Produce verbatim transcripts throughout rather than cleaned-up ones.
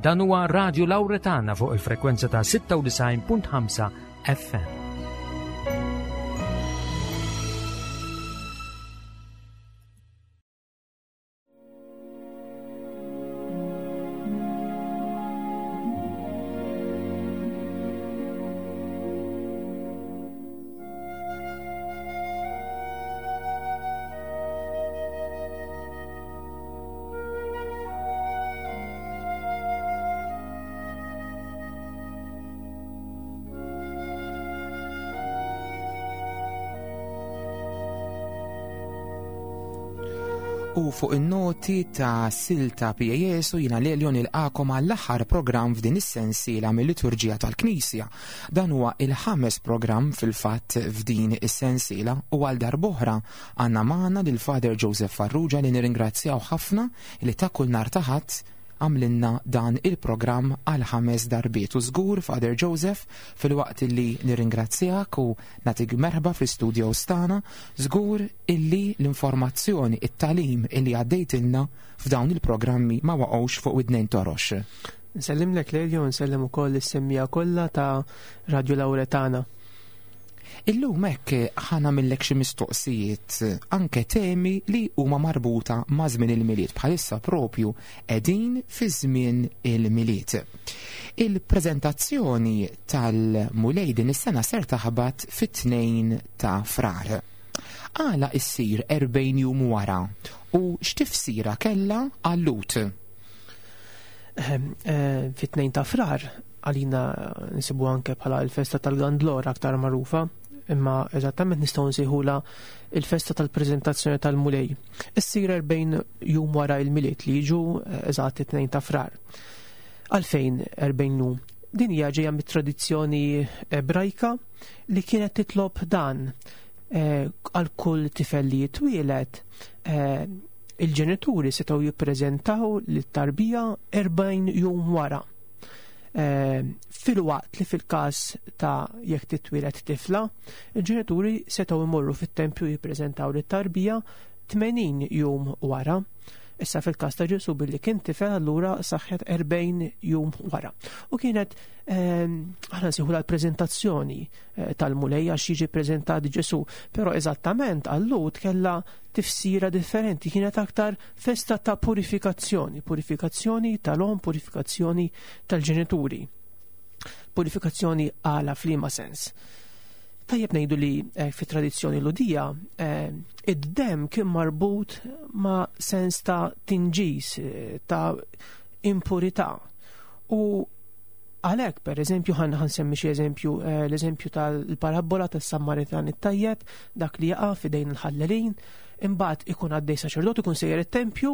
Dan huwa Radio Lauretana fuq il-frekwenza ta' sitta u disgħin punt ħamsa F M. U fuq in-noti ta' silta Pie Jesu, jiena Lelio nilqagħkom għall-aħħar programm f'din is-sensiela mill-liturġija tal-Knisja. Dan huwa il-ħames programm fil-fatt f'din is-sensiela u għal darb'oħra għandna magħna lil Father Joseph Farrugia, li nirringrazzjaw ħafna li ta' kull nhar ta' Ħadd għamlilna dan il-programm għal ħames darbiet. U żgur, Father Joseph, filwaqt illi nirringrazzjak u nagħtik merħba fl-studio tagħna, żgur illi l-informazzjoni, it-tagħlim illi għaddejtilna f'dawn il-programmi ma waqgħux fuq widnejn torox. Nsellimlek Lelio, nsellem ukoll is-semmiegħa kollha ta' Radio Lauretana. Illum hekk ħa nagħmillek xi mistoqsijiet, anke temi li huma marbuta ma' żmien il-Milied, bħalissa propju qegħdin fi żmien il-Milied. Il-preżentazzjoni tal-Mulej din is-sena ser taħbat fit-tnejn ta' Frar. Għala issir erbgħin jum wara u x'tifsira kellha għal-Lhud? Ehm, eh, Fit-tnejn ta' Frar għalina nsibu anke bħala il-festa tal-Gandlor aktar magħrufa, imma eżattament nistgħu nsejħula il-festa tal-preżentazzjoni tal-Mulej. Issir erbgħin jum wara il-Milied, li jiġu eh, eżatt it-tnejn ta' Frar. Għalfejn erbgħin jum? Din hija ġejja mit-tradizzjoni Ebrajka li kienet titlob dan eh, għal kull tifel li jitwielet, eh, il-ġenituri setgħu jippreżentaw lit-tarbija erbgħin jum wara. Eh, filwaqt li fil-każ ta' jekk titwieled tifla, il-ġenituri setgħu jmorru fit-tempju jippreżentaw lit-tarbija tmenin jum wara. Issa fil-każ ta' Ġesu, billi kien tifel, allura saħħet erbgħin jum wara. U kienet ehm, aħna nsejħu l-preżentazzjoni eh, tal-Mulej għax jiġi preżentat Ġesu, però eżattament għal-Lhud kellha tifsira differenti, kienet aktar festa ta' purifikazzjoni, purifikazzjoni tal-om, purifikazzjoni tal-ġenituri. Purifikazzjoni għala, f'liema sens? Tajjeb ngħidu li eh, fi tradizzjoni Lhudija eh, id-dem kien marbut ma' sens ta' tinġis, eh, ta' impurità. U għalhekk, per eżempju, ħa nsemmi xi eżempju, eh, l-eżempju tal-parabola tas-Sammaritan it-tajjeb, dak li jaqa' f'idejn il-ħallelin, imbagħad ikun għaddej saċerdot, ikun sejjer it-tempju,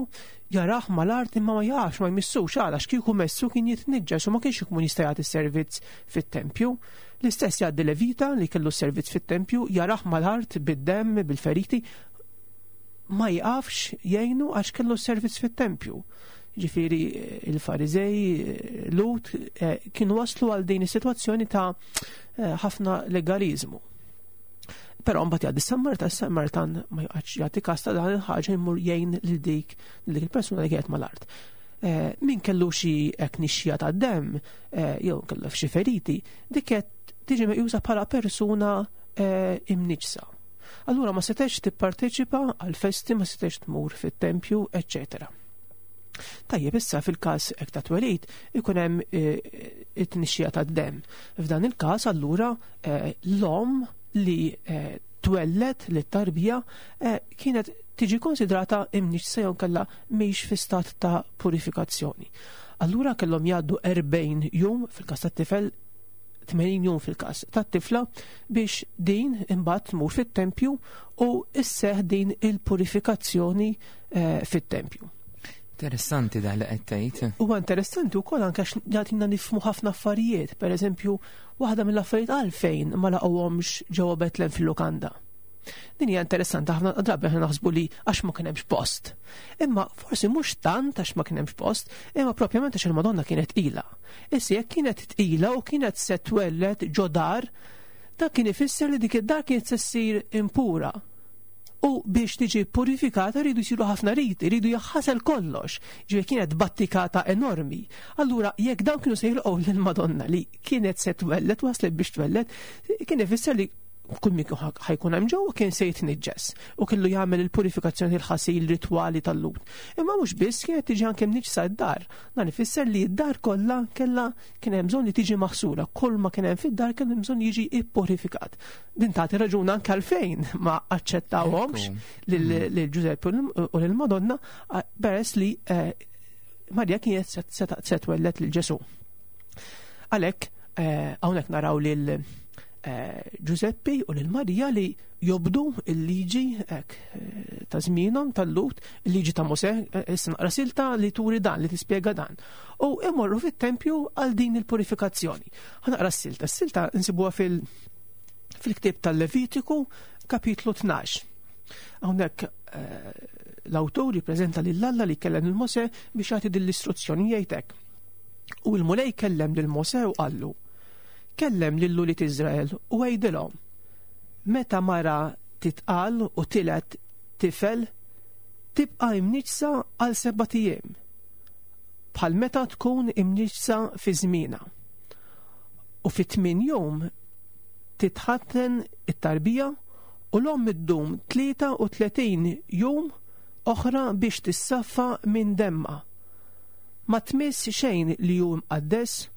jarah mal-art imma ma jaqafx, ma jmissux. Għala? Għax kieku messu kien jitniġġes u ma kienx ikun jista' jagħti servizz fit-tempju. L-istess jgħaddi Levita li kellu servizz fit-tempju, jarah mal-art bid-dem, bil-feriti, ma jaqafx jgħinu għax kellu servizz fit-tempju. Ġifieri il-Farizej, Lhud, eh, kienu waslu għal din is-sitwazzjoni ta' eh, ħafna legalizmu. Però mbagħad jgħaddi Samaritan, Samaritan ma joqgħodx jagħti kas ta' dan il-ħaġa, jmur jgħin lil dik lil dik il-persuna li kienet mal-art. Eh, min kellu xi hekk nixxija ta' dem, jew kellu xi feriti, dik qed tiġi meqjusa bħala persuna imniġsa. Allura ma setgħetx tipparteċipa għal festi, ma setgħetx tmur fit-tempju, eċċetera. Tajjeb, issa fil-każ hekk ta' twelid ikun hemm eh, it-tnixxija tad-dem. F'dan il-każ allura eh, l-om li eh, twellet li tarbija kienet tiġi konsidrata imniġsa jew kellha mhix fi stat ta' purifikazzjoni. Allura kellhom jgħaddu erbgħin jum fil-każ tat-tifel, tmenin jum fil-każ tat-tifla, biex din imbagħad tmur fit-tempju u isseħ din il-purifikazzjoni fit-tempju. Interessanti dan li qed tgħid. Huwa interessanti wkoll anke għax jagħtina nifhmu ħafna affarijiet. Per eżempju, waħda mill-affarijiet, għalfejn ma laqgħuhomx ġewwa Betlem fil-lukanda? Din hija interessanti ħafna. Drabi aħna naħsbu li għax ma kien hemmx post. Imma forsi mhux tant għax ma kien hemmx post, imma propjament għax il-Madonna kienet tqila. Issa jekk kienet tqila u kienet se twelled ġo dar, dak kien ifisser li dik id-dar kienet se ssir impura. U biex tiġi purifikata rridu jsiru ħafna riti, rridu jaħasel kollox. Ġifieri kienet battikata enormi. Allura jekk dawn kienu se jilqgħu lill-Madonna li kienet se twellet, waslet biex twellet, kien ifisser li kull min ħajkun hemm ġewwa kien se jitniġġes u kellu jagħmel il-purifikazzjoni, il-ħasil ritwali tal-Lhud. Imma mhux biss, kienet tiġi anke mniġsa d-dar. Dan ifisser li d-dar kollha kellha kien hemm bżonn li tiġi maħsula, kull ma kien hemm fid-dar kien hemm bżonn jiġi ippurifikat. Din tagħti raġun anke għalfejn ma aċċettawhomx lil Ġużeppi u lil Madonna, peress li eh, Marja kienet se twellet lil Ġesù. Għalhekk eh, hawnhekk naraw lil eh, Giuseppi u lil Marija li jobdu il-liġi hekk eh, ta' żmienhom tal-Lhud, il-liġi ta' Mosè, eh, issa naqra silta li turi dan, li tispjega dan. U imorru fit-tempju għal din il-purifikazzjoni. Ħa naqra s-silta. S-silta nsibuha fil- fil-ktieb tal-Levitiku, kapitlu tnax. Hawnhekk eh, l-awtur jippreżenta lil Alla li kellem lil Mosè biex jagħti din l-istruzzjoni, jgħidlek: "U l-Mulej kellem lil Mosè u qallu: Kellem lil ulied Iżrael u għidilhom: Meta mara titqal u tiled tifel, tibqa' imniġsa għal sebat ijiem, bħal meta tkun imniġsa fi żmienha. U fi tmien jum titħatten it-tarbija u l-omm iddum tlieta u tletin jum oħra biex tissaffa minn demma. Ma tmiss xejn li hu mqaddes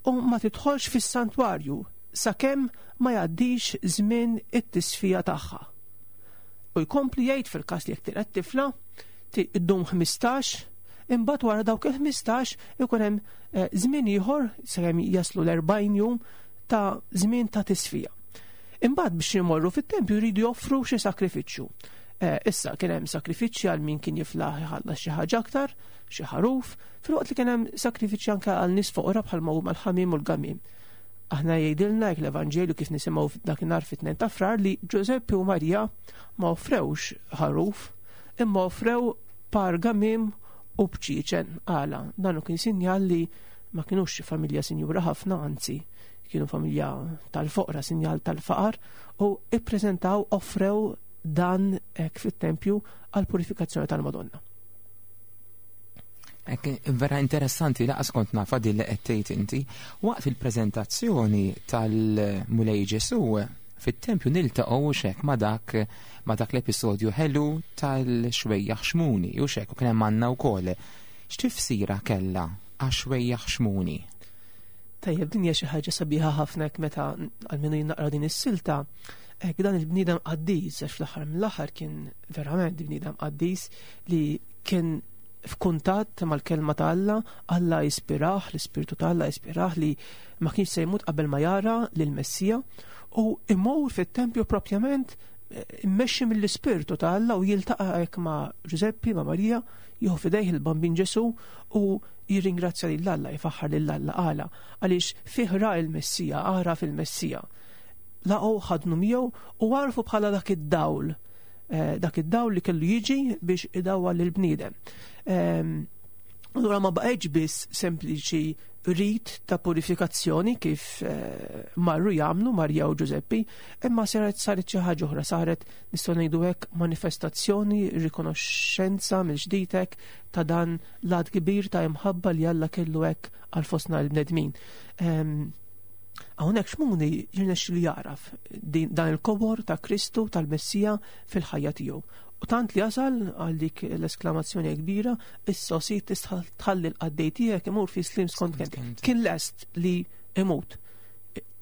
u ma tidħolx fis-santwarju sakemm ma jgħaddix żmien it-tisfija tagħha." U jkompli jgħid fil-każ li jekk tiled tifla, iddum ħmistax, imbagħad wara dawk il-ħmistax ikun hemm eh, żmien ieħor sakemm jaslu l-erbgħin jum ta' żmien ta' tisfija. Imbagħad biex jmorru fit-tempju jridu joffru xi sakrifiċċju. Eh, issa kien hemm sakrifiċċji għal min kien jiflaħ iħallas xi ħaġa aktar, xi ħaruf, filwaqt li kien hemm sakrifiċċji anke għal nies foqra bħalma huma l-ħamiem u l-gamiem. Aħna jgħidilna hekk l-Evanġelju kif nisimgħu dakinhar fit-tnejn ta' Frar li Ġużeppi u Marija ma offrewx ħaruf, imma offrew par gamiem u bċieċen. Għala? Dan kien sinjal li ma kienux familja sinjura ħafna, anzi kienu familja tal-foqra, sinjal tal-faqar, u ippreżentaw, offrew dan hekk fit-tempju għal purifikazzjoni tal-Madonna. Ek, vera interessanti, lanqas kont nafa din li qed tgħid inti. Waqt il-preżentazzjoni tal-Mulej Ġesu fit-tempju niltaqgħu xek ma dak ma dak l-episodju ħelu tal-xwejjaħ xmuni u xek u kien hemm għandna wkoll. X'tifsira kellha għax-xwejjaħ xmuni? Tajjeb, din hija xi ħaġa sabiħa ħafna hekk meta għalmenu jien naqra din is-silta. Hekk dan il-bniedem qaddis, għax fl-aħħar mill-aħħar kien verament bniedem qaddis li kien f'kuntatt mal-kelma ta' Alla, Alla jispirah, l-Ispirtu ta' Alla jispirah li ma kienx se jmut qabel ma jara lill-Messija u imur fit-tempju propjament eh, immexxi mill-Ispirtu ta' Alla u jiltaqa' hekk ma' Ġużeppi, ma' Marija, jieħu f'idejh il-Bambin Ġesu u jirringrazzja lil Alla, jfaħħar lil Alla. Għala? Għaliex fih ra il-Messija, ara fil-Messija. Laqgħu, ħadnu miegħu u għarfu bħala dak id-dawl, eh, dak id-dawl li kellu jiġi biex idawwal lill-bniedem. Ehm, Allura ma baqgħetx biss sempliċi rit ta' purifikazzjoni kif eh, marru jagħmlu Marja u Ġużeppi, imma saret saret xi ħaġa oħra, saret, nistgħu ngħidu hekk, manifestazzjoni, rikonoxxenza mill-ġdid hekk ta' dan l-att kbir ta' imħabba li Alla kellu hekk għal fostna l-bnedmin. Ehm, Hawnhekk Xmuni jirnexxilu jaraf din- dan il-kobor ta' Kristu, tal-Messija fil-ħajja tiegħu. U tant li jasal għal dik l-esklamazzjoni kbira: "Issa Sid tista' tħalli l-qaddej tiegħek imur fi sliem skont kelmtek." Kelmtek. Kien lest li imut.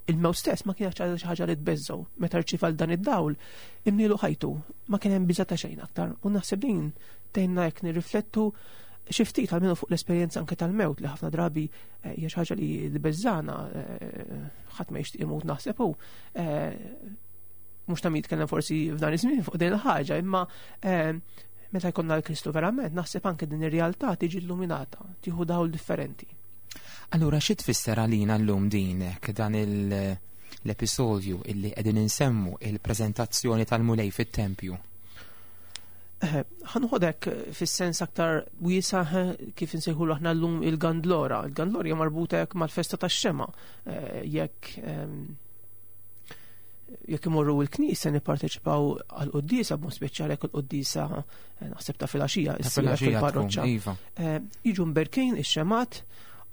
Il-mewt stess ma kienx xi ħaġa li tbeżżgħu. Meta rċieva dan id-dawl, imlielu ħajtu, ma kien hemm biża' ta' xejn aktar. U naħseb din tgħinna jekk nirriflettu xi ftit għalmenu fuq l-esperjenza anke tal-mewt li ħafna drabi eh, hija xi ħaġa li tbeżżana, eh, ħadd ma jixtieq imut, naħseb hu. Eh, mhux ta' min jitkellem forsi f'dan iż-żmien fuq din il-ħaġa, imma eh, meta jkollna l-Kristu verament, naħseb anke din ir-realtà tiġi illuminata, tieħu dawl differenti. Allura xi tfisser għalina llum dinek dan il- l-episodju illi qegħdin insemmu, il-preżentazzjoni tal-Mulej fit-tempju? Eh, ħa noħodek fis-sens aktar wiesa' eh, kif insejħulu aħna llum il-Gandlora. Il-Gandlora hija marbuta hekk mal-festa tax-xema. Eh, Jekk ehm, Jekk imorru l-knisja nipparteċipaw għall-quddiesa, b'mod speċjali jekk il-quddiesa naħseb ta' filgħaxija issir fil-parroċċa. Iva. Jiġu mberkin ix-xemgħat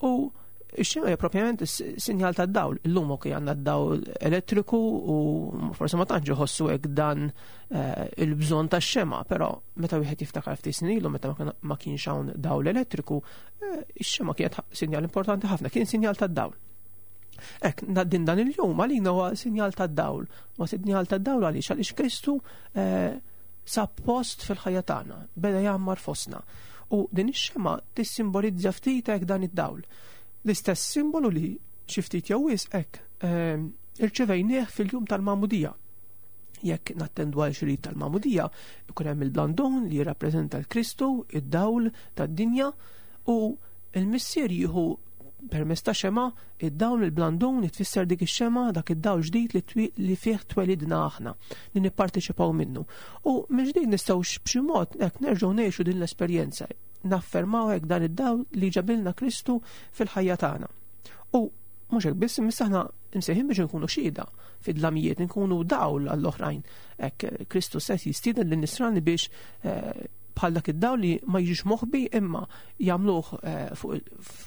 u ix-xemgħa hija propjament sinjal tad-dawl. Illum okej għandna d-dawl elettriku u forsi ma tantx iħossu hekk dan il-bżonn tax-xemgħa, però meta wieħed jiftakar ftit snin ilu meta ma kienx hawn dawl elettriku, ix-xemgħa kienet sinjal importanti ħafna, kien sinjal tad-dawl. Ek, din dan il-jum għalina huwa sinjal tad-dawl. Huwa sinjal tad-dawl għaliex għaliex Kristu sab post fil-ħajja tagħna, beda jgħammar fostna. U din ix-xemgħa tissimbolizza ftit hekk dan id-dawl. L-istess simbolu li xi ftit jew wisq hekk irċevejnieh fil-jum tal-Magħmudija. Jekk nattendu għal xi rit tal-Magħmudija, ikun hemm il-blandon li jirrappreżenta l-Kristu, id-dawl tad-dinja, u l-Missier jieħu permezz ta' xemgħa id-dawl il-blandun li tfisser dik ix-xemgħa, dak id-dawl ġdid li, twi, li fih twelidna aħna, li nipparteċipaw minnu. U minn ġdid nistgħu b'xi mod hekk nerġgħu ngħixu din l-esperjenza, naffermaw hekk dan id-dawl li ġabilna Kristu fil-ħajja tagħna. U mhux hekk biss, imma aħna imsejħin biex nkunu xhieda fid-dlamijiet, nkunu dawl għall-oħrajn. Hekk Kristu stess jistieden lin-nisrani biex eh, bħal dak id-dawl li ma jiġix moħbi imma jagħmluh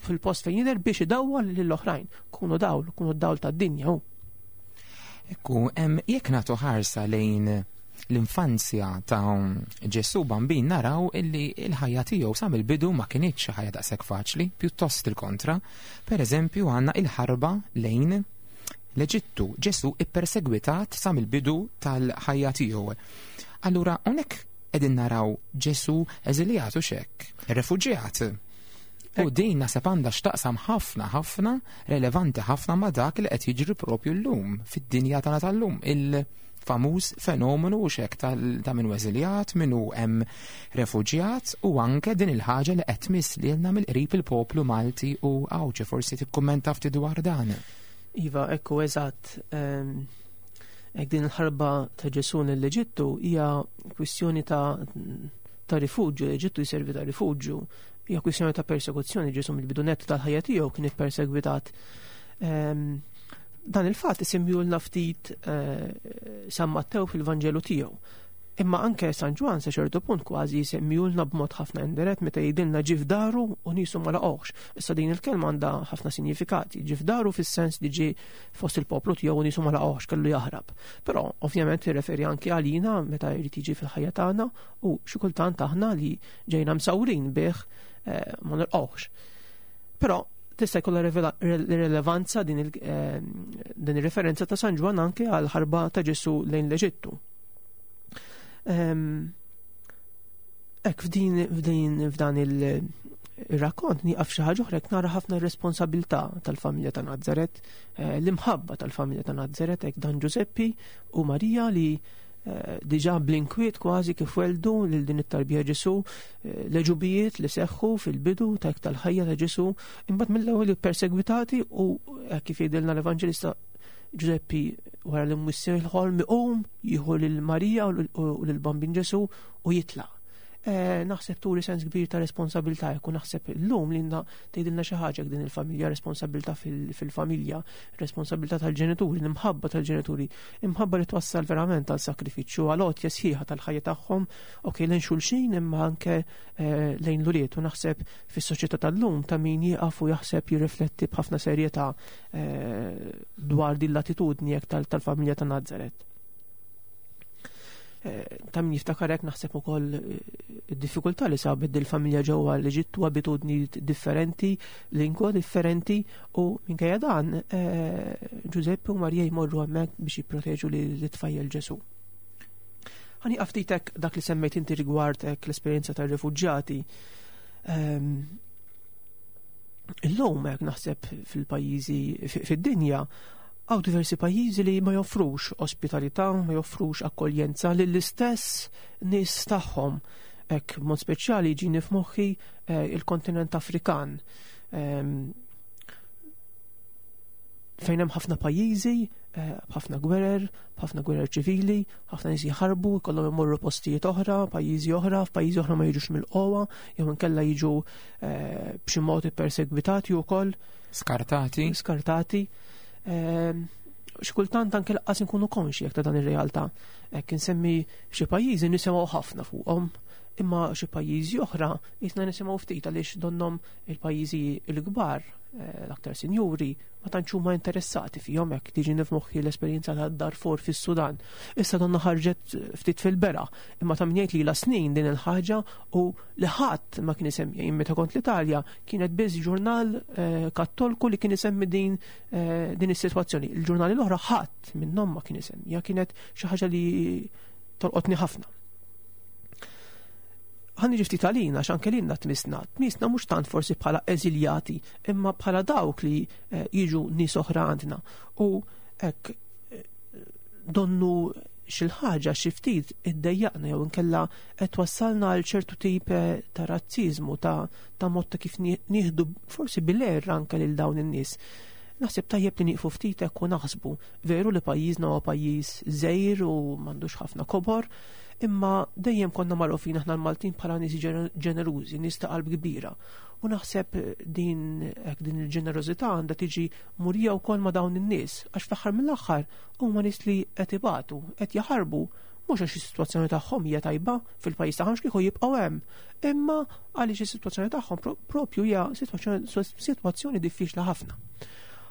fil-post fejn jidher biex idawwal lill-oħrajn. Kunu dawl, kunu d-dawl tad-dinja hu. Ekku, jekk nagħtu ħarsa lejn l-infanzja ta' Ġesù Bambin naraw illi l-ħajja tiegħu sa mill-bidu ma kinitx ħajja daqshekk faċli, pjuttost il-kontra. Per eżempju għandna il-ħarba lejn l-Eġittu. Ġesù ippersegwitat sa mill-bidu tal-ħajja tiegħu. Allura hawnhekk qegħdin naraw Ġesù eżiljat u xekk, refuġjat. U din naħseb għandha x'taqsam ħafna ħafna, relevanti ħafna ma' dak li qed jiġri propju llum fid-dinja tagħna tal-lum, il-famuż fenomenu u xekk ta' min hu eżiljat, min hu hemm refuġjat, u anke din il-ħaġa li qed tmiss lilna mill-qrib il-poplu Malti u Għawdxi. Forsi tikkummenta ftit dwar dan. Iva, ekku eżatt. Ek din il-ħarba ta' Ġesù lill-Eġittu hija kwistjoni ta' ta' rifuġġju, l-Eġittu jservi ta' rifuġġju, hija kwistjoni ta' persekuzzjoni. Ġesù mill-bidu nett tal-ħajja tiegħu kien ippersegwitat. Dan il-fatt isimjulna ftit San Mattew fil-Vanġelu tiegħu. Imma anke San Ġwann sa ċertu punt kważi jsemmijulna b'mod ħafna indirett meta jgħidilna ġie f'daru u niesu ma laqgħuhx. Issa din il-kelma għandha ħafna sinjifikati. Ġie f'daru fis-sens li ġie fost il-poplu tiegħu u niesu ma laqgħuhx, kellu jaħrab. Però ovvjament jirreferi anke għalina meta jrid jiġi fil-ħajja tagħna u xi kultant aħna li ġejna msawrin bih ma nilqgħuhx. Però tista' jkollha rilevanza din ir-referenza ta' San Ġwann anke għal ħarba ta' Ġesù lejn l-Eġittu. Ek f'din f'din f'dan il-rakkont nieqaf xi ħaġa oħra, nara ħafna responsabilità tal-familja ta' Nazaret, l-imħabba tal-familja ta' Nazaret, hekk dan Ġużeppi u Marija li diġà bl-inkwiet kważi kif weldu lil din it-tarbija Ġesù, l-eġubijiet li seħħu fil-bidu ta' tal-ħajja ta' Ġesù, imbagħad mill-ewwel ippersegwitati u kif jgħidilna l-Evanġelista Ġużeppi wara li mwissi l-ħolm iqum jieħu lil Marija u lil Bambin Ġesù u jitlaq. Naħseb turi sens kbir ta' responsabilità, jekk naħseb illum li tgħidilna xi ħaġa din il-familja, responsabilità fil-familja, responsabilità tal-ġenituri, l-imħabba tal-ġenituri, imħabba li twassal verament għal sakrifiċċju, għal għotja sħiħa tal-ħajja tagħhom, okej lejn xulxin imma anke lejn l-ulied. U naħseb fis-soċjetà tal-lum ta' min jieqaf u jaħseb jirrifletti b'ħafna serjetà dwar din l-attitudni hekk tal-familja ta' Nazaret. Ta' min jiftakar hekk naħseb ukoll id-diffikultà li sabet dil-familja ġewwa l-Eġittu, abitudni differenti, lingwa differenti, u minkejja dan Ġużeppi u Marija jmorru hemmhekk biex jipproteġu lit-tfajjel Ġesù. Ħa nieqaf ftit hekk dak li semmejt inti rigward hekk l-esperjenza tar-refuġjati. Illum hekk naħseb fil-pajjiżi fid-dinja għaw diversi pajjiżi li ma joffrux ospitalità, ma joffrux akkoljenza lill-istess nies tagħhom. Hekk mod speċjali ġini f'moħħi il-kontinent Afrikan, fejn hemm ħafna pajjiżi, b'ħafna gwerer, b'ħafna gwerer ċivili, ħafna nies jħarbu, jkollhom imorru postijiet oħra, pajjiżi oħra, f'pajjiżi oħra ma jiġux mill-qowwa, jew inkella jiġu b'xi mod ippersegwitati wkoll. Skartati. Skartati. Xi kultant anke lanqas inkunu konxi jekk ta' dan ir-realtà. Hekk insemmi xi pajjiżi nisimgħu ħafna fuqhom, imma xi pajjiżi oħra jisna nisimgħu ftit għaliex donnhom il-pajjiżi l-kbar, l-aktar sinjuri, ma tantx huma interessati fihom. Hekk tiġi nifmoħħi l-esperjenza ta' Darfur fis-Sudan. Issa donna ħarġet ftit fil-bera, imma ta' min jgħid li la snin din il-ħaġa u li ħadd ma kien isemmi. Jien meta kont l-Italja kienet biss ġurnal kattolku li kien isemmi din din is-sitwazzjoni. Il-ġurnali l-oħra ħadd minnhom ma kien isemmiha, kienet xi ħaġa li tolqotni ħafna. Ħa niġi ftit għalina, għax anke lilna tmisna. Tmisna mhux tant forsi bħala eżiljati, imma bħala dawk li jiġu nies oħra għandna. U hekk donnu xi ħaġa xi ftit iddejjaqna jew inkella qed twassalna għal ċertu tip ta' razziżmu, ta' ta' mod ta' kif nieħdu forsi bil-għerr anke lil dawn in-nies. Naħseb tajjeb li nieqfu ftit hekk u naħsbu. Veru li pajjiżna huwa pajjiż żgħir u m'għandux ħafna kobor, imma dejjem konna magħrufin aħna l-Maltin bħala nies ġenerużi, nies ta' qalb kbira. U naħseb din hekk din il-ġenerożità għandha tiġi murija wkoll ma' dawn in-nies, għax fl-aħħar mill-aħħar huma nies li qed ibatu, qed jaħarbu, mhux għax is-sitwazzjoni tagħhom hija tajba fil-pajjiż tagħhom kieku jibqgħu hemm, imma għaliex is-sitwazzjoni tagħhom propju hija sitwazzjoni diffiċli ħafna.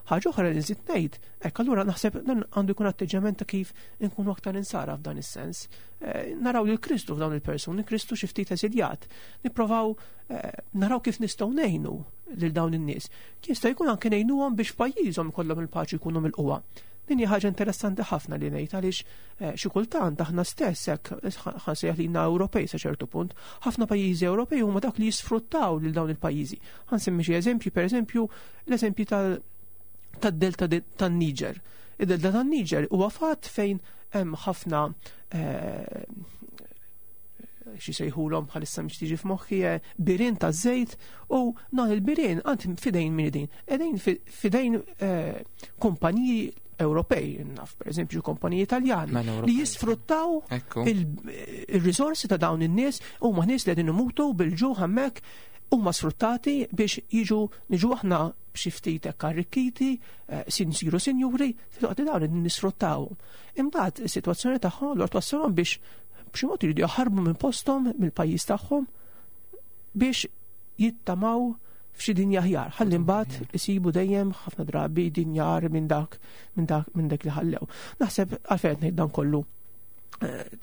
Ħaġa oħra li nżid ngħid, hekk allura naħseb dan għandu jkun atteġġjament ta' kif inkunu aktar insara f'dan is-sens. Naraw lil Kristu f'dawn il-persuni, Kristu xi ftit eżiljat. Nipprovaw naraw kif nistgħu ngħinu lil dawn in-nies. Jista' jkun anke ngħinuhom biex f'pajjiżhom ikollhom il-paċi jkunu mill-qwa. Din hija ħaġa interessanti ħafna li ngħid għaliex xi kultant aħna stess hekk ħansejjaħ lilna Ewropej sa ċertu punt, ħafna pajjiżi Ewropej huma dawk li jisfruttaw lil dawn il-pajjiżi. Ħansemmi xi eżempji, pereżempju l-eżempju tal tad-delta tan-Niġer. Id-delta tan-Niġer huwa fatt fejn hemm ħafna xi sejħulhom bħalissa mhix tiġi f'moħħi birien taż-żejt, u dan il-birien għand fidejn min idin. Qegħdin fidejn kumpaniji Ewropej, naf pereżempju kumpaniji Italjani li jisfruttaw il-risorsi ta' dawn in-nies, huma nies li qegħdin imutu bil-ġuħ hemmhekk, huma sfruttati biex jiġu niġu aħna b'xi ftit hekk arrikkiti, sinsiru sinjuri, filwaqt li dawn nisfruttawhom. Imbagħad is-sitwazzjoni tagħhom allura twassalhom biex b'xi mod iridu jaħarbu minn posthom, mill-pajjiż tagħhom, biex jittamaw f'xi dinja aħjar. Ħalli mbagħad isibu dejjem ħafna drabi dinja agħar minn dak minn dak minn dak li ħallew. Naħseb għalfejn qed ngħid dan kollu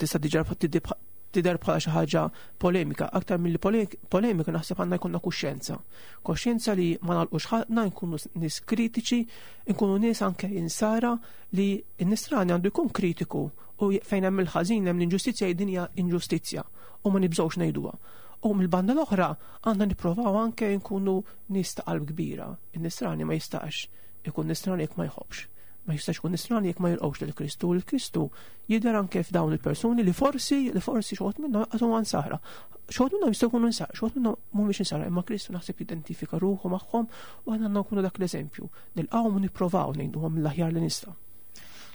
tista' diġà tidher bħala xi ħaġa polemika, aktar milli polemika naħseb għandna jkollna kuxjenza. Kuxjenza li ma nagħlqux ħalqna, nkunu nies kritiċi, nkunu nies anke insara li n-nisrani għandu jkun kritiku, u fejn hemm il-ħażin hemm l-inġustizzja, din hija inġustizzja u ma nibżgħux ngħiduha. U mill-banda l-oħra għandna nipprovaw anke nkunu nies ta' qalb kbira. In-nisrani ma jistax ikun nisrani jekk ma jħobbx. Ma jistax ikun nisrani jekk ma jilqgħux lil Kristu. Il Kristu jidher anke f'dawn il-persuni li forsi li forsi xi wħud minnhom qas huma nsara. Xi wħud minnhom jistgħu jkunu nsara, xi wħud minnhom mhumiex insara, imma Kristu naħseb jidentifika ruħu magħhom u aħna għandna nkunu dak l-eżempju. Nilqgħuhom u nipprovaw ngħiduhom mill-aħjar li nistgħu.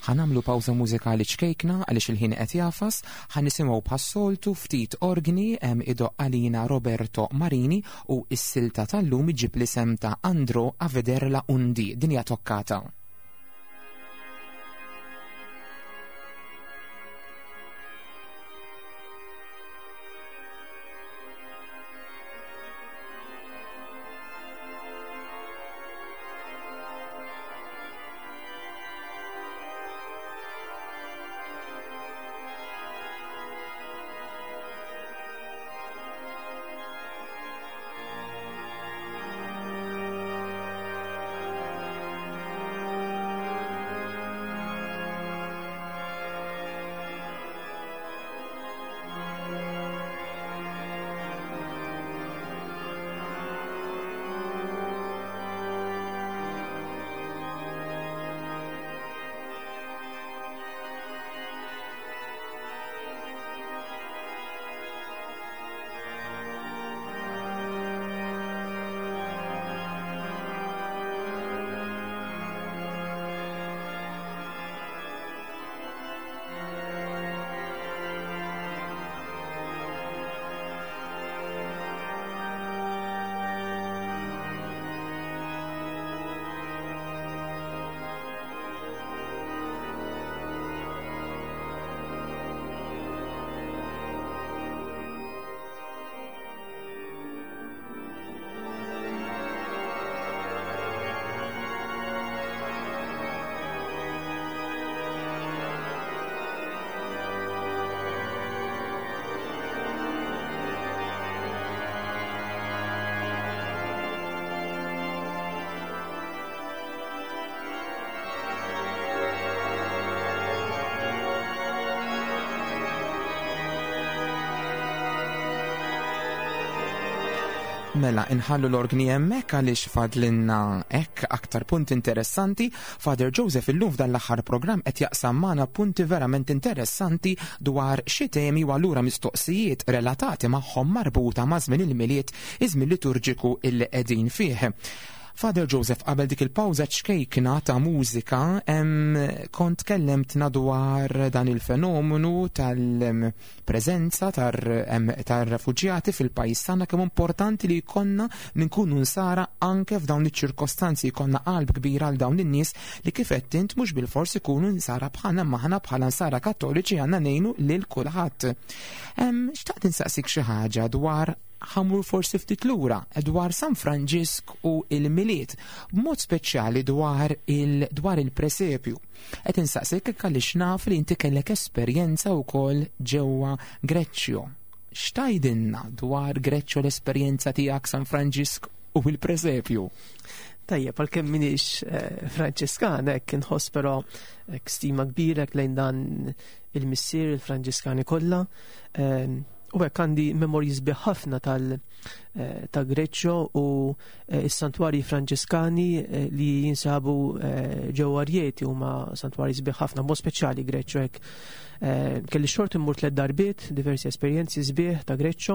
Ħanamlu pawża mużikali ċkejkna għaliex il-ħin qed jafas, ħanisimgħu bħas-soltu ftit organi hemm idoq għalina Roberto Marini u s-silta tal-lum iġib l-isem ta' Andro a vederla undi, dinja toccata. Thank you. Mela, inħallu l-organi hemmhekk għaliex fadlinna hekk aktar punti interessanti. Father Joseph illum f'dan l-aħħar programm qed jaqsam magħna punti verament interessanti dwar xi temi u allura mistoqsijiet relatati magħhom marbuta ma' żmien il-Milied, iż-żmien liturġiku illi qegħdin fih. Father Joseph, qabel dik il-pawża ċkejkna ta' mużika, em, kont kellemtna dwar dan il-fenomenu tal-preżenza tar-refuġjati fil-pajjiż tagħna, kemm importanti li jkollna nkunu nsara anke f'dawn iċ-ċirkostanzi, jkollna qalb kbira għal dawn in-nies li kif qed int mhux bilfors ikunu nsara bħalna, maħna bħala nsara Kattoliċi għandna ngħinu lil kulħadd. Xtaqt insaqsik xi ħaġa dwar, ħa mmur forsi ftit lura, dwar San Franġisk u il-Milied, b'mod speċjali dwar il dwar il-presepju. Qed insaqsik għaliex naf li inti kellek esperjenza wkoll ġewwa Greċċjo. X'tgħidilna dwar Greċċjo, l-esperjenza tiegħek, San Franġisk u il-presepju? Tajjeb, għalkemm m'iniex eh, Franċiskan, hekk inħoss però hekk stima kbira lejn dan il-missier il-Franġiskani kollha. Eh, U hekk għandi memorji sbieħ ħafna tal eh, ta' Greċċo u eh, is-santwarji Franġiskani eh, li jinsabu ġewwa Rjeti, huma santwarji sbieħ ħafna, mod speċjali Greċċo hekk. Kelli xort immur tliet darbiet, diversi esperjenzi sbieħ ta' Greċċo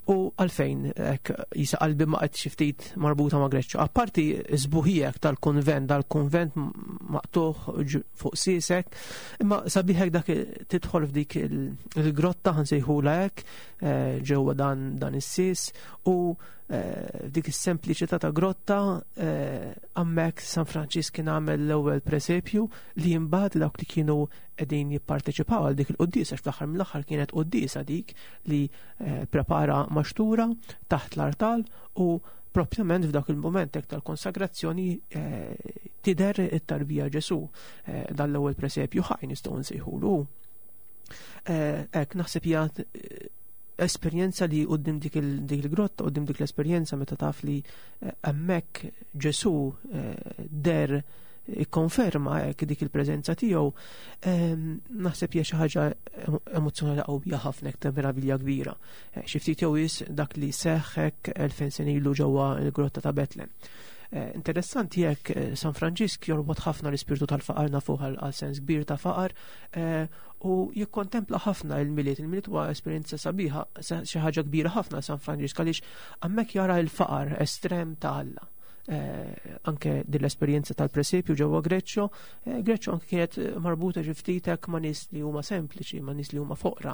u għalfejn hekk jisa qalbi ma qed xi ftit marbuta ma' Greċċo. Apparti sbuħijek tal-konvent, dal-konvent maqtuħ fuq sisek, imma sabiħek dak tidħol f'dik il-grotta, ħa nsejħulha hekk, eh, ġewwa dan dan is-sis u eh, f'dik is-sempliċità ta' grotta eh, hemmhekk San Franċisk kien għamel l-ewwel presepju li imbagħad dawk li kienu qegħdin jipparteċipaw għal dik il-quddiesa, għax fl-aħħar mill-aħħar kienet quddiesa dik li prepara maxtura taħt l-artal, u propjament f'dak il-moment hekk tal-konsagrazzjoni tidher it-tarbija Ġesu, dan l-ewwel presepju ħaj nistgħu nsejħulu. Hekk naħseb hija esperjenza li quddiem dik il-grotta, quddiem dik l-esperjenza meta taf li hemmhekk Ġesu der ikkonferma hekk dik il-preżenza tiegħu, naħseb hija xi ħaġa emozzjonali qawwija ħafna, ta' meravilja kbira. Xi ftit jew dak li seħħ hekk elfejn sena ilu ġewwa l-grotta ta' Betlem. Interessanti jekk San Franġisk jorbot ħafna l-ispirtu tal-faqar, nafuh għal sens kbir ta' faqar, u jikkontempla ħafna il-Milied. Il-Milied huwa esperjenza sabiħa, xi ħaġa kbira ħafna San Franġisk, għaliex hemmhekk jara l-faqar estrem ta' Alla. Anke din l-esperjenza tal-presepju ġewwa Greċċo, Greċċo anke kienet marbuta xi ftit hekk ma' nies li huma sempliċi, ma' nies li huma foqra,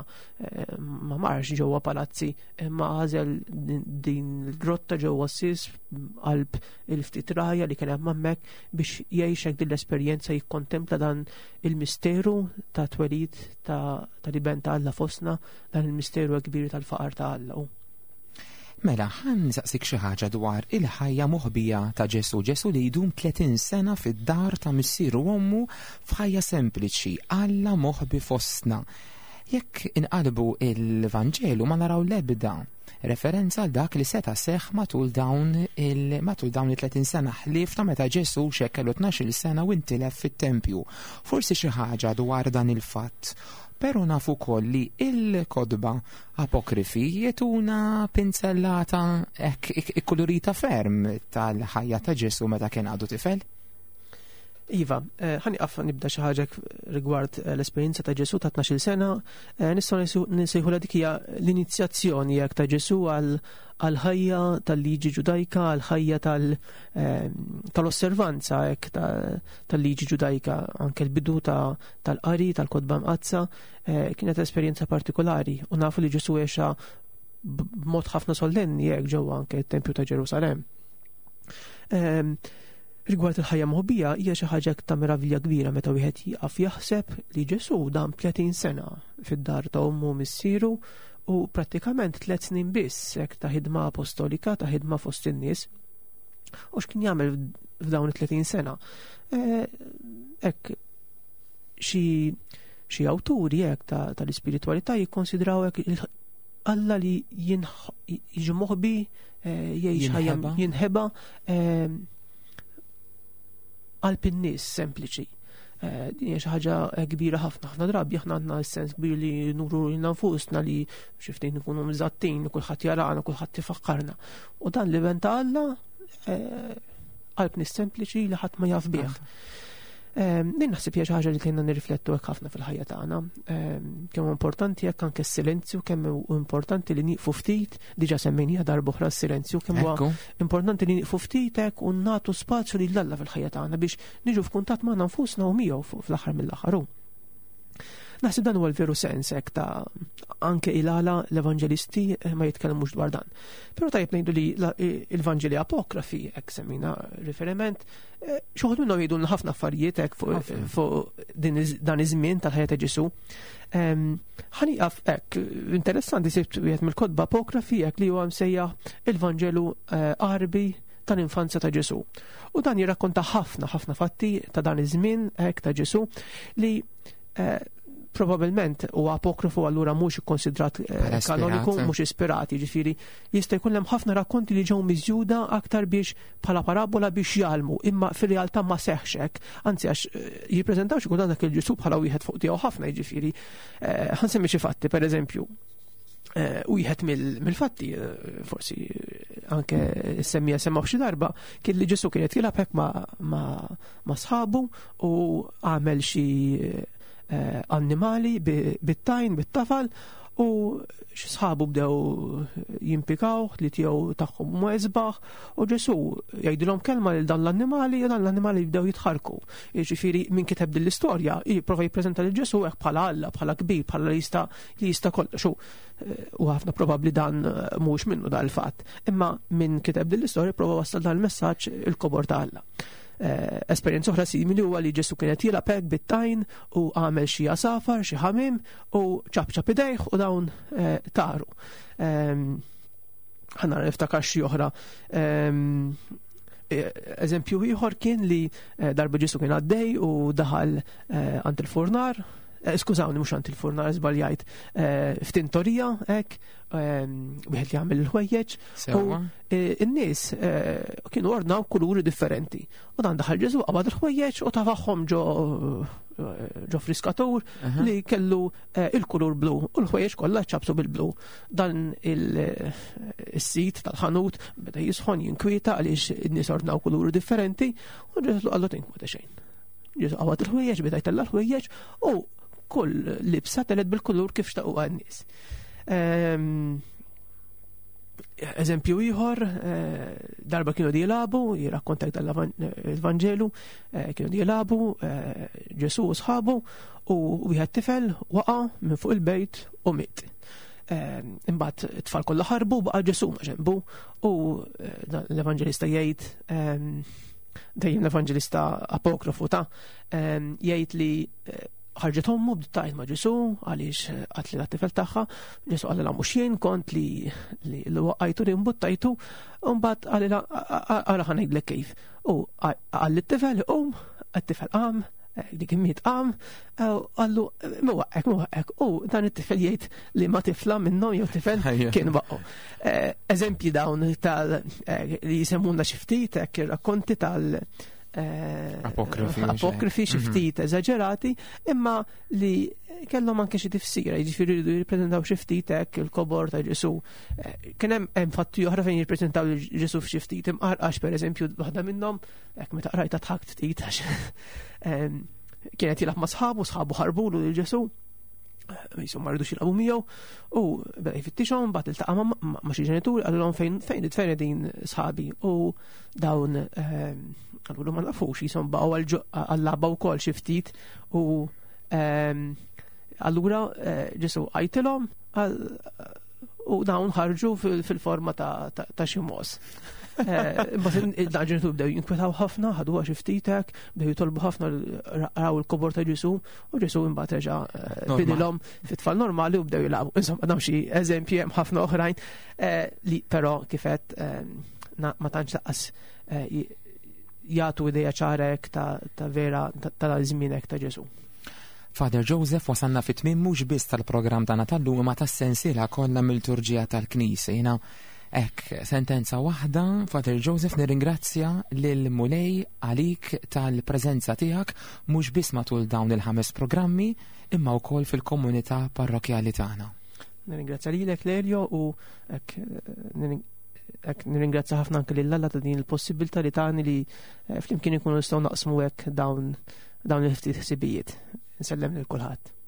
ma marx ġewwa palazzi, imma għażel din il-grotta ġewwa sis qalb il-ftit raja li kien hemm hemmhekk biex jgħix hekk din l-esperjenza, jikkontempla dan il-misteru ta' twelid tal-iben ta' Alla fostna, dan il-misteru kbir tal-faqar ta' Alla. Mela, ħa nsaqsik xi ħaġa dwar il-ħajja moħbija ta' Ġesu. Ġesu li jdum tletin sena fid-dar ta' missieru u ommu f'ħajja sempliċi, Alla moħbi fostna. Jekk inqalbu il-Vanġelu ma naraw l-ebda referenza għal dak li seta' seħħ matul dawn il matul dawn it-tletin sena, ħlief ta' meta Ġesu xekkellu tnax-il sena u intilef fit-tempju. Forsi xi ħaġa dwar dan il-fatt. Pero nafu koll li il-kotba apokrifi jagħtuna pinzellata hekk ikkulurita ferm tal-ħajja ta' Ġesu meta kien għadu tifel. Iva, ħa nieqaf nibda xi ħaġa rigward l-esperjenza ta' Ġesu ta' tnax-il sena, nistgħu nsejħu dik hija l-inizjazzjoni jekk ta' Ġesu għal-ħajja tal-liġi ġudajka, għal-ħajja tal-osservanza hekk tal-liġi ġudajka, anke l-bidu tal-qari tal-kotba mqaddsa, kienet esperjenza partikolari u nafu li Ġesu għexa b'mod ħafna sollenni hekk ġewwa anke t-Tempju ta' Ġerusalemm. Rigward il-ħajja moħbija hija xi ħaġa ta' meravilja kbira meta wieħed jieqaf jaħseb li Ġesu dam tletin sena fid-dar ta' ommu missieru u prattikament tliet snin biss hekk ta' ħidma apostolika, ta' ħidma fost in-nies. U x'kien jagħmel f'dawn it-tletin sena? Hekk xi xi awturi hekk tal-ispiritwalità jikkonsidraw hekk Alla li jiġi moħbi, jgħix ħajja jinħeba qalb in-nies sempliċi. Din hija xi ħaġa kbira ħafna. Ħafna drabi aħna għandna s-sens kbir li nuru lilna nfusna, li xi ftit nkunu mżattin, kulħadd jarana, kulħadd ifakkarna. U dan l-Iben ta' Alla qalb nies sempliċi li ħadd ma jaf bih. Din naħseb hija xi ħaġa li kienna nirriflettu hekk ħafna fil-ħajja tagħna. Kemm importanti hekk anke s-silenzju, kemm importanti li nieqfu ftit, diġà semmejniha darba oħra s-silenzju, kemm huwa importanti li nieqfu ftit hekk u nagħtu spazju lil Alla fil-ħajja tagħna biex niġu f'kuntatt magħna nfusna u miegħu fl-aħħar mill-aħħar. Naħseb dan huwa l-veru sens hekk ta' anke il-għala l-evanġelisti ma jitkellmux dwar dan. Però tajjeb ngħidu li il-Vanġeli apokrafi, hekk semmina riferiment, xi wħud minnhom jgħidulna ħafna affarijiet hekk fuq dan iż-żmien tal-ħajja ta' Ġesù. Ħa nieqaf hekk, interessanti sibt wieħed mill-kotba apokrafi hekk li huwa msejjaħ il-Vanġelu Għarbi tal-infanzja ta' Ġesù. U dan jirrakkonta ħafna ħafna fatti ta' dan iż-żmien hekk ta' Ġesù li probabilment huwa apokrifu, allura mhux ikkonsidrat kanoniku, mhux ispirat, jiġifieri jista' jkun hemm ħafna rakkonti li ġew miżjuda aktar biex bħala parabola biex jgħallmu, imma fir-realtà ma seħħx hekk, anzi għax jippreżentaw xi kultant dak il-Ġesù bħala wieħed fuq tiegħu ħafna, jiġifieri ħa nsemmi xi fatti, pereżempju. Wieħed mill-fatti, forsi anke semmija semmaw xi darba, kien li Ġesù kien qed jilgħab hekk ma' sħabu u għamel xi annimali bit-tajn, bit-tafal, u sħabu bdew jimpikaw li tiegħu tagħhom ma isbaħ, u Ġesù jgħidilhom kelma lil dan l-annimali u dan l-annimali bdew jitħarku. Jiġifieri min kiteb din l-istorja jipprova jippreżenta lil Ġesù hekk bħala Alla, bħala kbir, bħala li jista' li jista' kollox. U ħafna probabbli dan mhux minnu dan il-fatt. Imma min kiteb din l-istorja prova wassal dan il-messaġġ il-kobor ta' Alla. Esperjenza oħra simili huwa li Ġesù kien qed jilgħab hekk bit-tajn u għamel xi għasafar, xi ħamiem u ċapċap idejh u dawn taru. Ħa nara niftakar xi oħra. Eżempju ieħor kien li darba Ġesù kien għaddej u daħal għand il-furnar, skużawni mhux għand il-furnar, żbaljajt, f'tintorija hekk, wieħed li jagħmel il-ħwejjeġ, u n-nies kienu ordnaw kuluri differenti. U dan daħal Ġesù qabad il-ħwejjeġ u tafaħħom ġo ġo friskatur li kellu il-kulur blu, u l-ħwejjeġ kollha ċabsu bil-blu. Dan il-sit tal-ħanut beda jisħon, jinkwieta għaliex in-nies ordnaw kuluri differenti, u Ġesù qallu tinkweta xejn. Ġesù qabad il-ħwejjeġ, beda jtella' l-ħwejjeġ u kull libsa telet bil-kulur kif xtaquha n-nies. Eżempju ieħor, darba kienu jilagħbu, jirrakkonta il-Vanġelu, kienu jilagħbu Ġesù u sħabu, u wieħed tifel waqa' minn fuq il-bejt u miet. Imbagħad it-tfal kollha ħarbu, baqa' Ġesù ma' ġenbu, u l-Evanġelista jgħid, dejjem l-Evanġelista apokrifu ta' jgħid li ħarġet ommu bdiet tgħid ma' Ġesù għaliex qatli lat-tifel tagħha. Ġesù qalilha mhux jien kont li li waqqajtu li mbuttajtu, u mbagħad qalilha ara ħa ngħidlek kif. U qal lit-tifel qum, it-tifel qam, dik immiet qam, qallu mwaqqek, mwaqqek, u dan it-tifel jgħid li ma tifla minnhom jew tifel kien waqqu. Eżempji dawn tal li jsemmuna xi ftit hekk ir-rakkonti tal Apokrifi, apokrifi xi ftit eżaġerati, imma li kellhom anke xi tifsira, jiġifieri jridu jirrappreżentaw xi ftit hekk il-kobor ta' Ġesù. Kien hemm hemm fatti oħra fejn jirrappreżentaw Ġesù f'xi ftit imqarqax, pereżempju waħda minnhom hekk meta qrajtha tħakt ftit għax kienet jilgħab ma' sħabu, sħabu ħarbulu lil Ġesù, jisu ma rridux jilagħbu miegħu, u beda jfittixhom, mbagħad iltaqa' ma' xi ġenituri, qalilhom fejn fejn fejn din sħabi, u dawn qalulu ma nafux, jisom baqgħu għal-lagħba wkoll xi ftit, u allura Ġesù għajtilhom u dawn ħarġu fil-forma ta' xi mos. Imbagħad dan ġenitur bdew jinkwetaw ħafna, ħaduha xi ftit hekk, bdew jitolbu ħafna, raw il-kobor ta' Ġesù, u Ġesù imbagħad reġa' bidilhom fit-tfal normali u bdew jilagħbu. Insomma, dawn xi eżempji, hemm ħafna oħrajn li però kif qed ma tantx laqqas jagħtu idea ċara hekk ta' vera tal-żmien hekk ta' Ġesù. Father Joseph, wasalna fit-tmiem mhux biss tal-programm tagħna tal-lum imma tas-sensiela kollha mill-liturġija tal-Knisja. Jiena Hekk, sentenza waħda, Father Joseph, nirringrazzja lil Mulej għalik tal-preżenza tiegħek mhux biss matul dawn il-ħames programmi imma wkoll fil-komunità parrokjali tagħna. Nirringrazzja lilek, Lelio, u hekk hekk nirringrazzja ħafna anke lil Alla ta' din il-possibilità li tani li eh, flimkien ikunu nistgħu naqsmu hekk dawn dawn il-ftit ħsibijiet. Nsellem lil kulħadd.